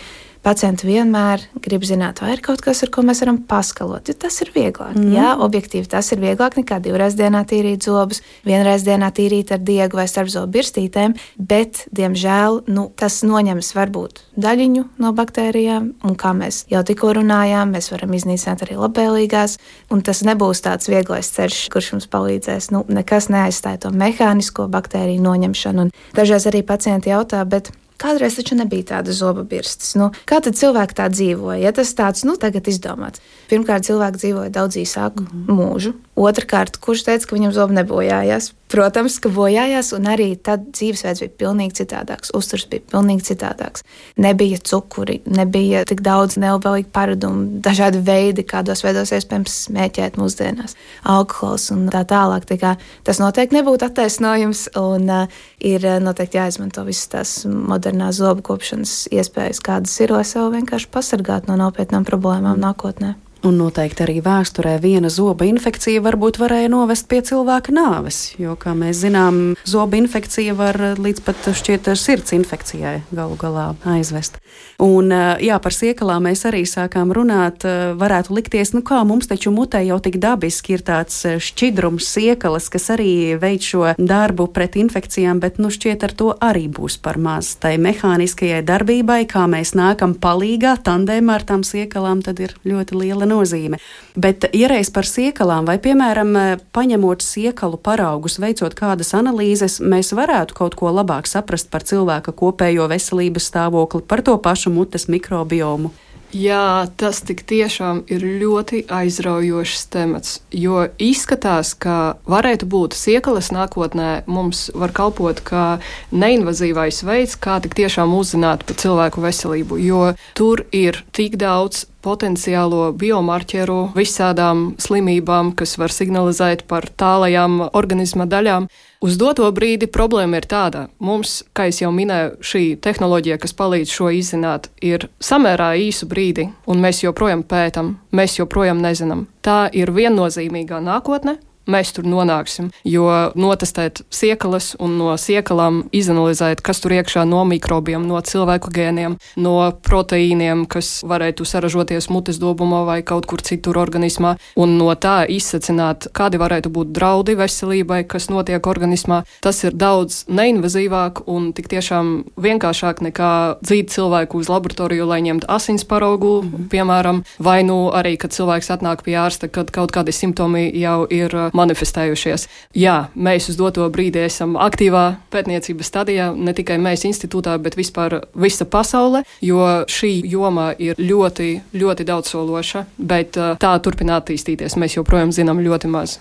pacienti vienmēr grib zināt, vai ir kaut kas, ar ko mēs varam paskalot, jo tas ir vieglāk. Jā, objektīvi tas ir vieglāk nekā 2 reizes dienā tīrīt zobus, 1 reizi dienā tīrīt ar diegu vai starpzobu birstītēm, bet, diemžēl, tas noņems varbūt daļiņu no baktērijām, un kā mēs jau tikko runājām, mēs varam iznīcināt arī labvēlīgās, un tas nebūs tāds vieglais ceļš, kurš mums palīdzēs. Nekas neaizstāja to mehānisko baktēriju noņemšanu, un dažreiz arī pacienti jautā, bet kādreiz taču nebija tāda zoba birstes. Kā tad cilvēki tā dzīvoja? Ja tas tāds, tagad izdomāts. Pirmkārt, cilvēki dzīvoja daudz īsāku mūžu. Otrakārt, kurš teica, ka viņam zobi nebojājās? Protams, ka bojājās, un arī tad dzīvesveids bija pilnīgi citādāks. Uzturs bija pilnīgi citādāks. Nebija cukuri, nebija tik daudz neilglaicīgu paradumu, dažādi veidi, kādos veidos iespējams smēķēt mūsdienās. Alkohols un tā tālāk. Tā kā tas noteikti nebūtu attaisnojums, un ir noteikti jāizmanto visas tās modernās zobu kopšanas iespējas, kādas ir, lai sev vienkārši pasargātu no nopietnām problēmām nākotnē. Un noteikti arī vēsturē viena zoba infekcija varbūt varēja novest pie cilvēka nāves, jo, kā mēs zinām, zoba infekcija var līdz pat šķiet sirds infekcijai galu galā aizvest. Un, jā, par siekalām mēs arī sākām runāt, varētu likties, kā mums taču mutē jau tik dabiski ir tāds šķidrums siekalas, kas arī veic šo darbu pret infekcijām, bet, šķiet ar to arī būs par maz. Tai mehāniskajai darbībai, kā mēs nākam palīgā, tandēmā ar tām siekalām, tad ir ļoti liela nozīme. Bet, ja reiz par siekalām, vai, piemēram, paņemot siekalu paraugus, veicot kādas analīzes, mēs varētu kaut ko labāk saprast par cilvēka kopējo veselības stāvokli, par to pašu mutes mikrobiomu? Jā, tas tik tiešām ir ļoti aizraujošs temats, jo izskatās, ka varētu būt siekalas nākotnē mums var kalpot kā neinvazīvais veids, kā tik tiešām uzzināt par cilvēku veselību, jo tur ir tik daudz potenciālo biomarķeru visādām slimībām, kas var signalizēt par tālajām organisma daļām. Uz doto brīdi problēma ir tāda. Mums, kā es jau minēju, šī tehnoloģija, kas palīdz šo izzināt, ir samērā īsu brīdi, un mēs joprojām pētam, mēs joprojām nezinām. Tā ir viennozīmīgā nākotne, mēs tur nonāksim. Jo notestēt siekalas un no siekalām izanalizēt, kas tur iekšā no mikrobiem, no cilvēku gēniem, no proteīniem, kas varētu saražoties mutes dobumā vai kaut kur citur organismā, un no tā izsacināt, kādi varētu būt draudi veselībai, kas notiek organismā. Tas ir daudz neinvazīvāk un tik tiešām vienkāršāk nekā dzīt cilvēku uz laboratoriju, lai ņemtu asins paraugu, piemēram, vai nu arī, kad cilvēks atnāk pie ārsta, kad kaut kādi simptomi jau ir manifestējušies. Jā, mēs uz doto brīdi esam aktīvā pētniecības stadijā, ne tikai mēs institūtā, bet vispār visa pasaule, jo šī joma ir ļoti, ļoti daudzsološa, bet tā turpina attīstīties. Mēs joprojām zinām ļoti maz.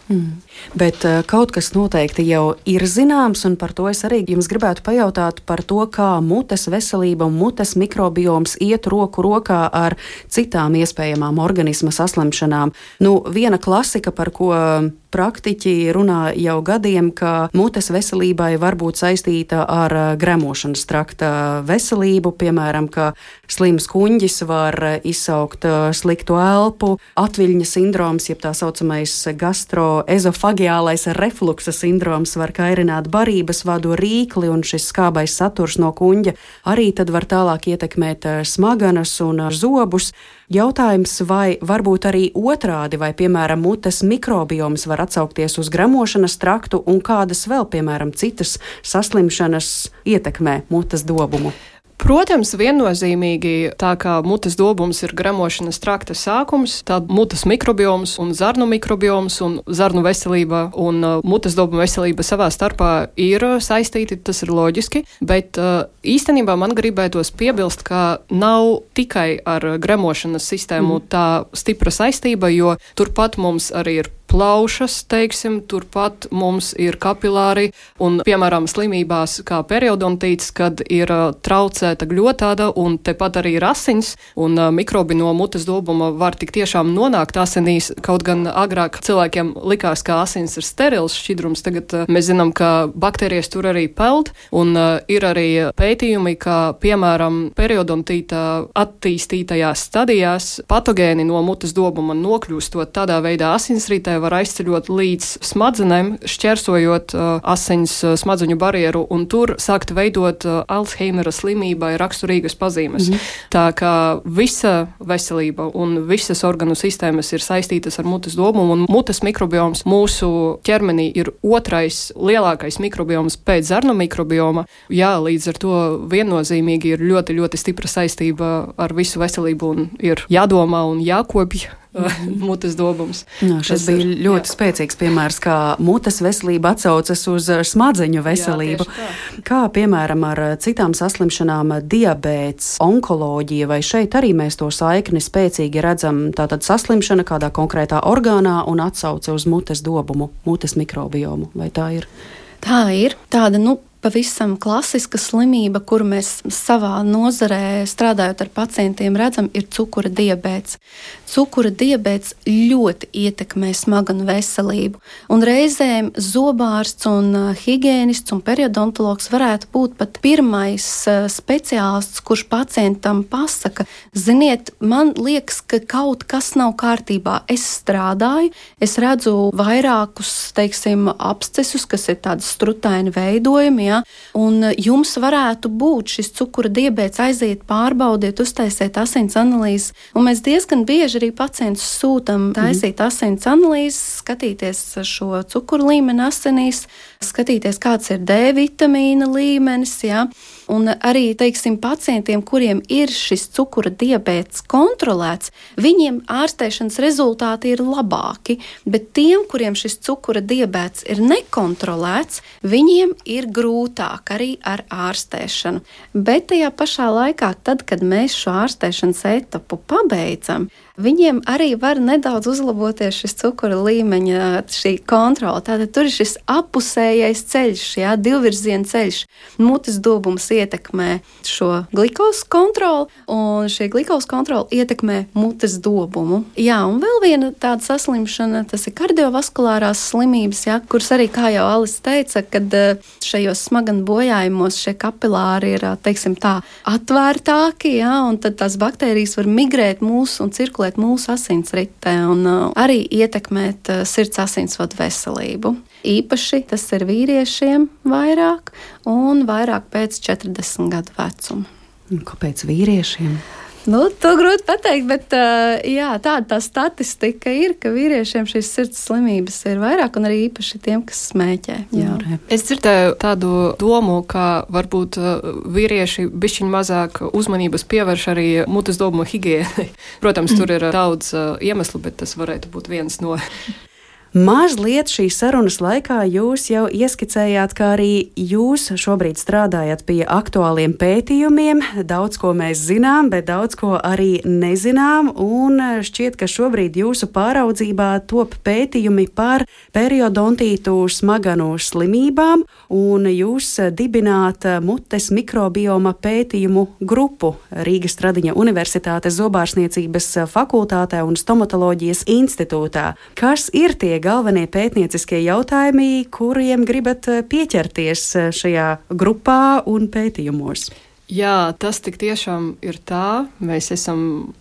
Bet kaut kas noteikti jau ir zināms, un par to es arī jums gribētu pajautāt par to, kā mutes veselība un mutes mikrobioms iet roku rokā ar citām iespējamām organisma saslimšanām. Viena klasika, par ko praktiķi runā jau gadiem, ka mutes veselībai var būt saistīta ar gremošanas trakta veselību, piemēram, ka slims kuņģis var izsaukt sliktu elpu, atviļņa sindroms, jeb tā saucamais gastroezofagiālais refluksa sindroms var kairināt barības vadu rīkli, un šis skābais saturs no kuņģa arī tad var tālāk ietekmēt smaganas un zobus. Jautājums, vai varbūt arī otrādi, vai, piemēram, mutes mikrobioms var atsaukties uz gremošanas traktu, un kādas vēl, piemēram, citas saslimšanas ietekmē mutes dobumu? Protams, viennozīmīgi, tā kā mutes dobums ir gremošanas trakta sākums, tad mutes mikrobioms un zarnu mikrobioms un zarnu veselība un mutes dobuma veselība savā starpā ir saistīti, tas ir loģiski, bet īstenībā man gribētos piebilst, ka nav tikai ar gremošanas sistēmu tā stipra saistība, jo turpat mums arī ir plaušas, teiksim, turpat mums ir kapilāri un, piemēram, slimībās kā periodontīts, kad ir traucēta gļotāda un tepat arī ir asins un mikrobi no mutes dobuma var tik tiešām nonākt asinīs, kaut gan agrāk cilvēkiem likās, ka asins ir sterils šķidrums, tagad mēs zinām, ka baktērijas tur arī peld un ir arī pētījumi, ka, piemēram, periodontīta attīstītajās stadijās patogēni no mutes dobuma nokļūstot tādā veidā asinsritē var aizceļot līdz smadzenēm, šķērsojot asins smadzeņu barjeru, un tur sākt veidot Alzheimera slimībai raksturīgas pazīmes. Tā kā visa veselība un visas organu sistēmas ir saistītas ar mutes dobumu, un mutes mikrobioms mūsu ķermenī ir otrais lielākais mikrobioms pēc zarnu mikrobioma. Jā, līdz ar to viennozīmīgi ir ļoti, ļoti stipra saistība ar visu veselību un ir jādomā un jākopj mutes dobums. Šis bija ļoti spēcīgs piemērs, kā mutes veselība atsaucas uz smadzeņu veselību. Jā, kā, piemēram, ar citām saslimšanām diabēts, onkoloģija, vai šeit arī mēs to saikni spēcīgi redzam, tātad saslimšana kādā konkrētā orgānā un atsauce uz mutes dobumu, mutes mikrobiomu, vai tā ir? Tā ir tāda, pavisam klasiska slimība, kuru mēs savā nozarē strādājot ar pacientiem redzam, ir cukura diabēts. Cukura diabēts ļoti ietekmē smaganu veselību, un reizēm zobārsts un higiēnists un periodontologs varētu būt pat pirmais speciālists, kurš pacientam pasaka, ziniet, man liekas, ka kaut kas nav kārtībā. Es strādāju, es redzu vairākus, teiksim, abscesus, kas ir tādi strutaini veidojumi, un jums varētu būt šis cukura diabēts, aiziet, pārbaudiet, uztaisiet asins analīzes, un mēs diezgan bieži arī pacientus sūtam taisīt asins analīzes, skatīties šo cukuru līmeni asinīs, skatīties, kāds ir D vitamīna līmenis, un arī, teiksim, pacientiem, kuriem ir šis cukura diabēts kontrolēts, viņiem ārstēšanas rezultāti ir labāki, bet tiem, kuriem šis cukura diabēts ir nekontrolēts, viņiem ir grūtāk arī ar ārstēšanu. Bet tajā pašā laikā, tad, kad mēs šo ārstēšanas etapu pabeidzam, viņiem arī var nedaudz uzlaboties šis cukura līmeņa, šī kontrola. Tātad tur ir šis apusējais ceļš, divvirziena ceļš. Mutes dobums ietekmē šo glikozu kontroli, un šī glikozu kontrola ietekmē mutes dobumu. Jā, un vēl viena tāda saslimšana, tas ir kardiovaskulārās slimības, kuras arī, kā jau Alis teica, kad šajos smaganu bojājumos šie kapilāri ir, teiksim tā, atvērtāki, ja, un tad tās baktērijas var migrēt mūsu un cirkulēt mūsu asinsritē un arī ietekmēt sirds asinsvadu veselību. Īpaši tas ir vīriešiem vairāk un vairāk pēc 40 gadu vecuma. Kāpēc vīriešiem? To grūti pateikt, bet jā, tāda tā statistika ir, ka vīriešiem šīs sirds slimības ir vairāk un arī īpaši tiem, kas smēķē. Jā. Es dzirdēju tādu domu, ka varbūt vīrieši bišķiņ mazāk uzmanības pievērš arī mutes dobumu higiēnai. Protams, tur ir daudz iemeslu, bet tas varētu būt viens no. Mazliet šīs sarunas laikā jūs jau ieskicējāt, ka arī jūs šobrīd strādājat pie aktuāliem pētījumiem. Daudz ko mēs zinām, bet daudz ko arī nezinām, un šķiet, ka šobrīd jūsu pāraudzībā top pētījumi par periodontītu smaganu slimībām, un jūs dibināt mutes mikrobioma pētījumu grupu Rīgas Stradiņa Universitātes zobārstniecības fakultātē un stomatoloģijas institūtā. Kas ir tie galvenie pētnieciskie jautājumi, kuriem gribat pieķerties šajā grupā un pētījumos? Jā, tas tik tiešām ir tā. Mēs esam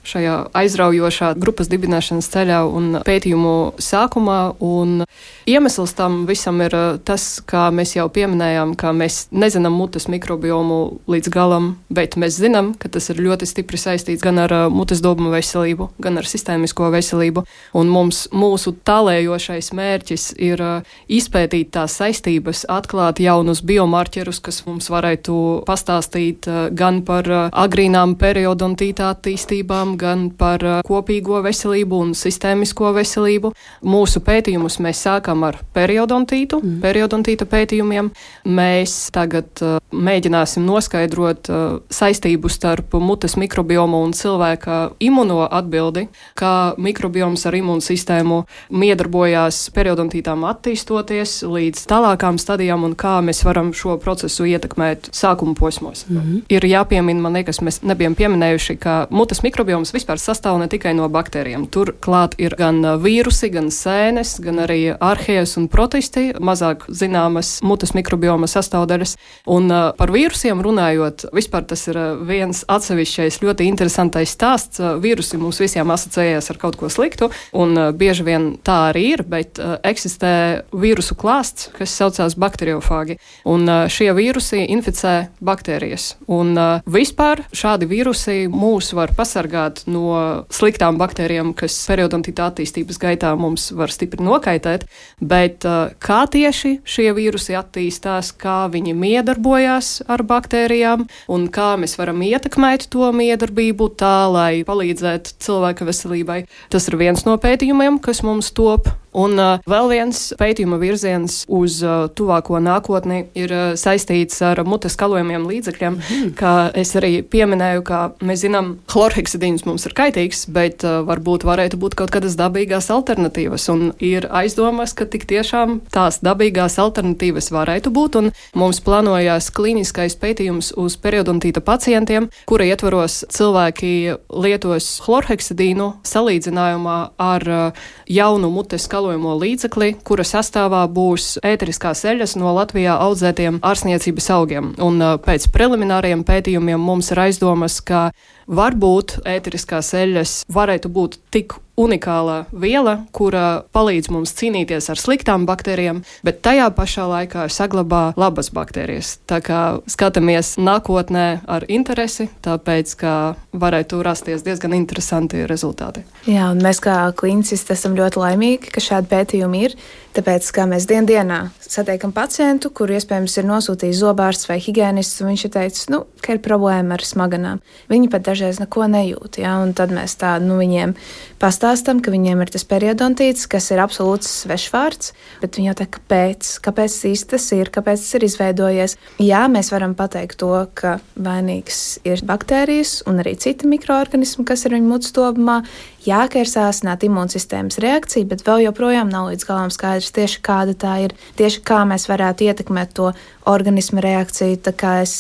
šajā aizraujošā grupas dibināšanas ceļā un pētījumu sākumā. Un iemesls tam visam ir tas, kā mēs jau pieminējām, ka mēs nezinām mutes mikrobiomu līdz galam, bet mēs zinām, ka tas ir ļoti stipri saistīts gan ar mutes dobumu veselību, gan ar sistēmisko veselību. Un mūsu tālējošais mērķis ir izpētīt tās saistības, atklāt jaunus biomarķerus, kas mums varētu pastāstīt gan par agrīnām periodontīta attīstībām, gan par kopīgo veselību un sistēmisko veselību. Mūsu pētījumus mēs sākam ar periodontīta pētījumiem. Mēs tagad mēģināsim noskaidrot saistību starp mutes mikrobiomu un cilvēka imuno atbildi, kā mikrobioms ar imūnsistēmu miedarbojās periodontītām attīstoties līdz tālākām stadijām un kā mēs varam šo procesu ietekmēt sākuma posmos. Ir jāpiemina, man liekas, mēs nebijam pieminējuši, ka mutes mikrobioms vispār sastāv ne tikai no baktērijām. Tur klāt ir gan vīrusi, gan sēnes, gan arī arhējas un protisti, mazāk zināmas mutes mikrobioma sastāvdaļas. Un par vīrusiem runājot, vispār tas ir viens atsevišķais ļoti interesantais stāsts. Vīrusi mums visiem asociējās ar kaut ko sliktu, un bieži vien tā arī ir, bet eksistē vīrusu klāsts, kas saucās bakteriofāgi. Un šie vīrusi inficē baktērijas. Un vispār šādi vīrusi mūs var pasargāt no sliktām baktērijām, kas periodontīta attīstības gaitā mums var stipri nokaitēt, bet kā tieši šie vīrusi attīstās, kā viņi miedarbojās ar baktērijām un kā mēs varam ietekmēt to miedarbību tā, lai palīdzētu cilvēka veselībai. Tas ir viens no pētījumiem, kas mums top. Un vēl viens pētījuma virziens uz tuvāko nākotni ir saistīts ar mutes kalojumiem līdzekļiem, kā es arī pieminēju, ka mēs zinām, chlorheksidīns mums ir kaitīgs, bet varbūt varētu būt kaut kādas dabīgās alternatīvas, un ir aizdomas, ka tik tiešām tās dabīgās alternatīvas varētu būt, un mums plānojās klīniskais pētījums uz periodontīta pacientiem, kura ietvaros cilvēki lietos chlorheksidīnu salīdzinājumā ar jaunu mutes kalojuma līdzekli, kura sastāvā būs ēteriskās eļas no Latvijā audzētiem ārstniecības augiem. Un pēc prelimināriem pētījumiem mums ir aizdomas, ka varbūt ēteriskās eļas varētu būt tik unikāla viela, kura palīdz mums cīnīties ar sliktām baktērijām, bet tajā pašā laikā saglabā labas baktērijas. Tā kā skatāmies nākotnē ar interesi, tāpēc, ka varētu rasties diezgan interesanti rezultāti. Jā, un mēs kā klīnicisti esam ļoti laimīgi, ka šādi pētījumi ir, tāpēc, ka mēs dienā satiekam pacientu, kuru iespējams ir nosūtījis zobārsts vai higiēnists, un viņš ir teicis, ka ir problēma ar smaganām. Viņi pat dažreiz neko nejūt, ja? Un tad mēs viņiem pastāstam, ka viņiem ir tas periodontīts, kas ir absolūts svešvārds, bet viņi jau tā, kāpēc īsti tas ir, kāpēc tas ir izveidojies. Jā, mēs varam pateikt to, ka vainīgs ir baktērijas un arī citi mikroorganismi, kas ir viņu mutes dobumā. Jā, ka ir sāsināta imūnsistēmas reakcija, bet vēl joprojām nav līdz galam skaidrs tieši kāda tā ir, tieši kā mēs varētu ietekmēt to organismu reakciju. Tā kā es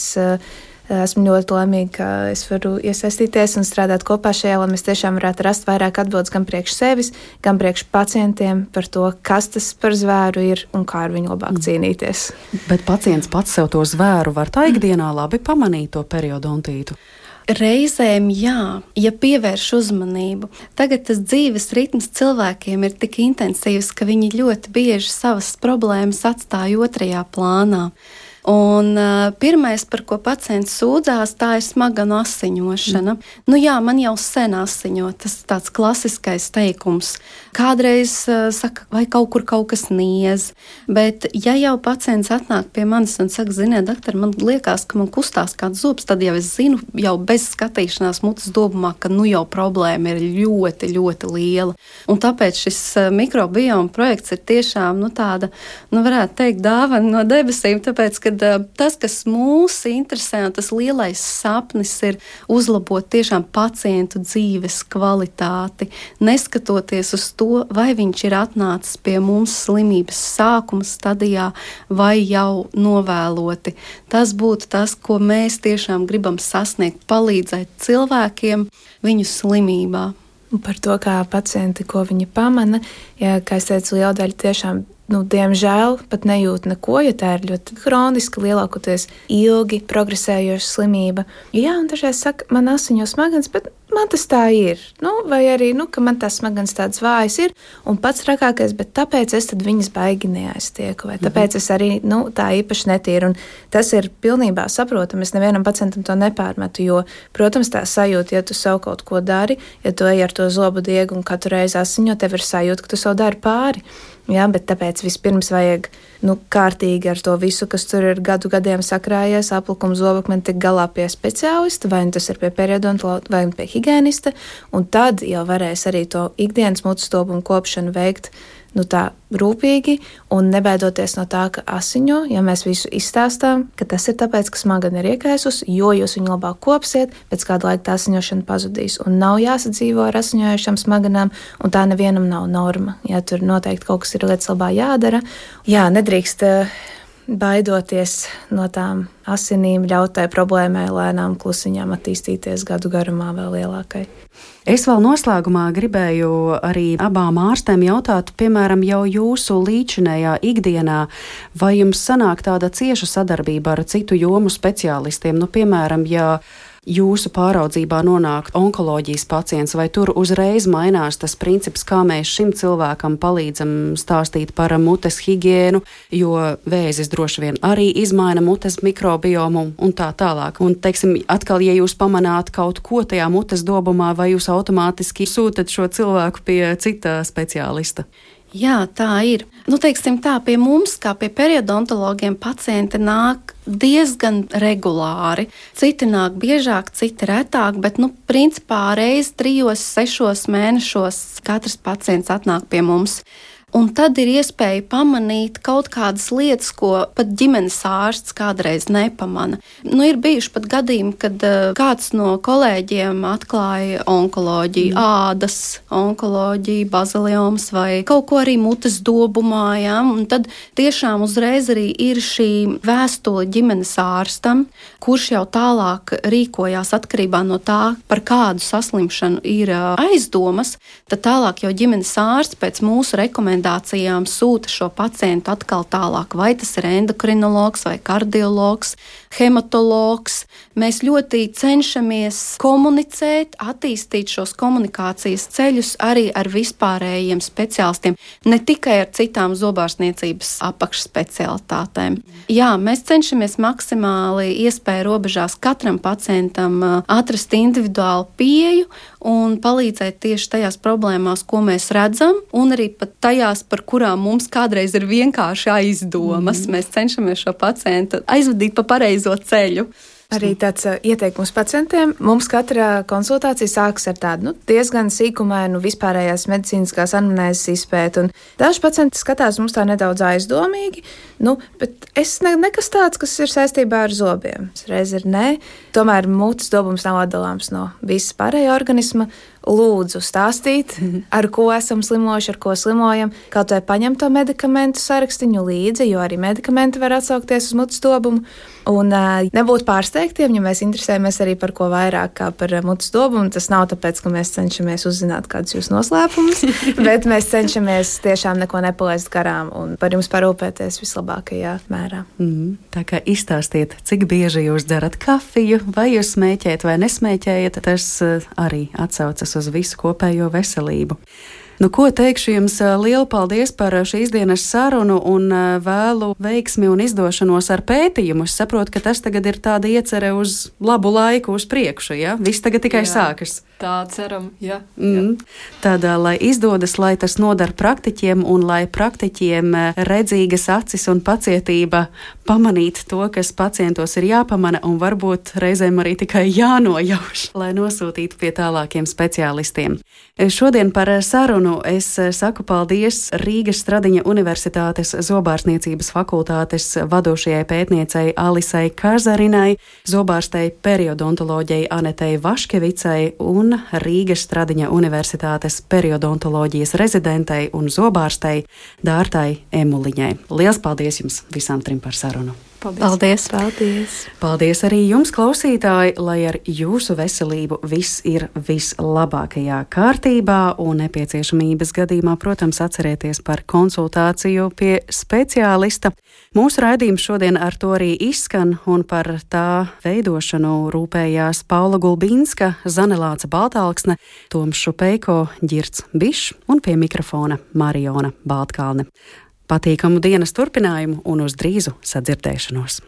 esmu ļoti laimīga, ka es varu iesaistīties un strādāt kopā šajā, lai mēs tiešām varētu rast vairāk atbildes gan priekš sevis, gan priekš pacientiem par to, kas tas par zvēru ir un kā ar viņu labāk cīnīties. Bet pacients pats sev to zvēru var tā ikdienā labi pamanīt, to periodontītu? Reizēm jā, ja pievērš uzmanību. Tagad tas dzīves ritms cilvēkiem ir tik intensīvs, ka viņi ļoti bieži savas problēmas atstāja otrajā plānā. Un pirmais, par ko pacients sūdzās, tā ir smaganu asiņošana. Nu jā, man jau sen asiņo, tas ir tāds klasiskais teikums. Kādreiz saka, vai kaut kur kaut kas niez, bet ja jau pacients atnāk pie manis un saka, ziniet, doktor, man liekas, ka man kustās kāds zobs, tad jau es zinu, jau bez skatīšanās mutes dobumā, ka nu jau problēma ir ļoti, ļoti liela. Un tāpēc šis mikrobioma projekts ir tiešām, tāda, varētu teikt, dāvana no debesīm, tāpēc, ka tas, kas mūs interesē, un tas lielais sapnis ir uzlabot tiešām pacientu dzīves kvalitāti, neskatoties uz to, vai viņš ir atnācis pie mums slimības sākuma stadijā vai jau novēloti. Tas būtu tas, ko mēs tiešām gribam sasniegt, palīdzēt cilvēkiem viņu slimībā. Par to, kā pacienti, ko viņi pamana, kā es teicu, liela daļa tiešām diemžēl pat nejūt neko, jo tā ir ļoti kroniska, lielākoties ilgi progresējoša slimība. Jā, un dažreiz saka, man asiņo smadzenes, bet man tas tā ir. Vai arī, ka man tās smadzenes tādas vājas ir, un pats trakākais, bet tāpēc es tad viņas baigi neaiztieku, vai tāpēc es arī, tā īpaši netīru. Un tas ir pilnībā saprotami, es nevienam pacientam to nepārmetu, jo, protams, tā sajūta, ja tu sev kaut ko dari, ja tu ej ar to zobu diegu un katru reizi asiņo, tev ir sajūta, ka tu sev dari pāri. Jā, bet tāpēc vispirms vajag kārtīgi ar to visu, kas tur ir gadiem sakrājies, aplikumu zobakmeni tik galā pie speciālista, vai tas ir pie periodontologa, vai pie higienista, un tad jau varēs arī to ikdienas mutes dobumu kopšanu veikt tā rūpīgi un nebaidoties no tā, ka asiņo, ja mēs visu izstāstām, ka tas ir tāpēc, ka smagana ir iekaisus, jo jūs viņu labāk kopsiet, pēc kāda laika tā asiņošana pazudīs. Un nav jāsadzīvo ar asiņojušām smaganām, un tā nevienam nav norma. Ja tur noteikti kaut kas ir lietas labā jādara. Jā, nedrīkst baidoties no tām asinīm, ļaut tai problēmai lēnām klusiņām attīstīties gadu garumā vēl lielākai. Es vēl noslēgumā gribēju arī abām ārstēm jautāt, piemēram, jau jūsu līdzinējā ikdienā, vai jums sanāk tāda cieša sadarbība ar citu jomu speciālistiem? Piemēram, ja jūsu pāraudzībā nonāk onkoloģijas pacients, vai tur uzreiz mainās tas princips, kā mēs šim cilvēkam palīdzam stāstīt par mutes higiēnu, jo vēzis droši vien arī izmaina mutes mikrobiomu un tā tālāk. Un, teiksim, atkal, ja jūs pamanāt kaut ko tajā mutes dobumā, vai jūs automātiski sūtat šo cilvēku pie cita speciālista? Jā, tā ir. Teiksim tā, pie mums, kā pie periodontologiem, pacienti nāk diezgan regulāri. Citi nāk biežāk, citi retāk, bet, principā reiz 3-6 mēnešos katrs pacients atnāk pie mums. Un tad ir iespēja pamanīt kaut kādas lietas, ko pat ģimenes ārsts kādreiz nepamana. Ir bijuši pat gadījumi, kad kāds no kolēģiem atklāja onkoloģiju, ādas onkoloģiju, baziliomas vai kaut ko arī mutes dobumā. Ja? Un tad tiešām uzreiz arī ir šī vēstule ģimenes ārstam, kurš jau tālāk rīkojās atkarībā no tā, par kādu saslimšanu ir aizdomas. Tad tālāk jau ģimenes ārsts pēc mūsu rekomendācijām sūta šo pacientu atkal tālāk, vai tas ir endokrinologs vai kardiologs, hematologs. Mēs ļoti cenšamies komunicēt, attīstīt šos komunikācijas ceļus arī ar vispārējiem speciālistiem, ne tikai ar citām zobārstniecības apakšspecialitātēm. Jā, mēs cenšamies maksimāli iespēju robežās katram pacientam atrast individuālu pieeju un palīdzēt tieši tajās problēmās, ko mēs redzam, un arī pat tajās, par kurām mums kādreiz ir vienkārši aizdomas. Mēs cenšamies šo pacientu aizvadīt pa pareizo ceļu. Arī tāds ieteikums pacientiem. Mums katra konsultācija sākas ar tādu diezgan sīkumainu vispārējās medicīniskās anamnēzes izpēti. Daži pacienti skatās mums tā nedaudz aizdomīgi, Bet es nekas tāds, kas ir saistībā ar zobiem. Reiz ir nē, tomēr mutes dobums nav atdalāms no visas pārējā organisma. Lūdzu stāstīt, ar ko esam slimojuši, ar ko slimojam, kaut vai paņemt to medikamentu sarakstiņu līdzi, jo arī medikamenti var atsaukties uz mutes dobumu. Un nebūt pārsteigtiem, ja mēs interesējamies arī par ko vairāk kā par mutes dobumu. Tas nav tāpēc, ka mēs cenšamies uzzināt kādus jūsu noslēpumus, bet mēs cenšamies tiešām neko nepalaist garām un par jums parūpēties vislabākajā mērā. Tā kā izstāstiet, cik bieži jūs dzerat kafiju, vai jūs smēķējat vai nesmēķējat, tas arī atsaucas uz visu kopējo veselību. Ko teikšu jums, lielu paldies par šīs dienas sarunu un vēlu veiksmi un izdošanos ar pētījumu. Es saprotu, ka tas tagad ir tāda iecere uz labu laiku uz priekšu, ja? Viss tagad tikai sākas. Tā ceram, jā. Tad, lai izdodas, lai tas nodar praktiķiem un lai praktiķiem redzīgas acis un pacietība pamanīt to, kas pacientos ir jāpamana un varbūt reizēm arī tikai jānojauš, lai nosūtītu pie tālākiem speciālistiem. Šodien par sarunu es saku paldies Rīgas Stradiņa Universitātes zobārstniecības fakultātes vadošajai pētniecei Alisai Kazarinai, zobārstei periodontoloģijai Anetei Vaškevicai un Rīgas Stradiņa Universitātes periodontoloģijas rezidentei un zobārstei Dārtai Emuliņai. Liels paldies jums visām trim par sarunu! Paldies! Paldies arī jums, klausītāji, lai ar jūsu veselību viss ir vislabākajā kārtībā un nepieciešamības gadījumā, protams, atcerieties par konsultāciju pie speciālista. Mūsu raidījums šodien ar to arī izskan un par tā veidošanu rūpējās Paula Gulbinska, Zanelāca Baltalksne, Toms Šupeiko, Ģirds Bišs un pie mikrofona Mariona Baltkalne. Patīkamu dienas turpinājumu un uz drīzu sadzirdēšanos!